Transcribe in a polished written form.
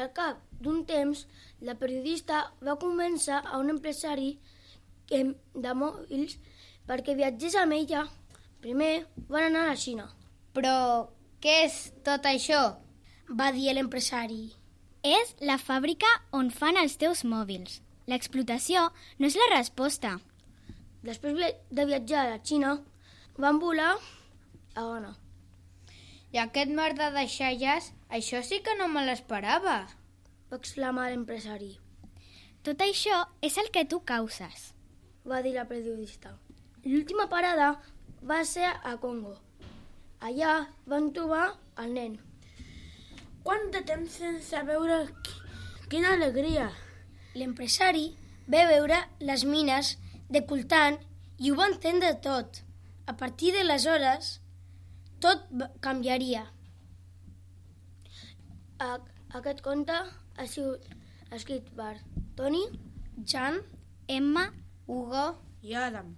Al cap d'un temps, la periodista va convèncer a un empresari de mòbils perquè viatgés amb ella. Primer van anar a la Xina. Però què és tot això? Va dir l'empresari. És la fàbrica on fan els teus mòbils. L'explotació no és la resposta. Després de viatjar a la Xina, van volar a Ghana. I aquest mar de deixalles, això sí que no me l'esperava, Va exclamar l'empresari. Tot això és el que tu causes. Va dir la periodista. L'última parada va ser a Congo. Allà van trobar el nen. Quant de temps sense veure... Quina alegria! L'empresari va veure les mines de coltan i ho va entendre tot. A partir d'aleshores, tot canviaria. Aquest conte ha sigut escrit per Toni, Jan, Emma, Hugo I Adam.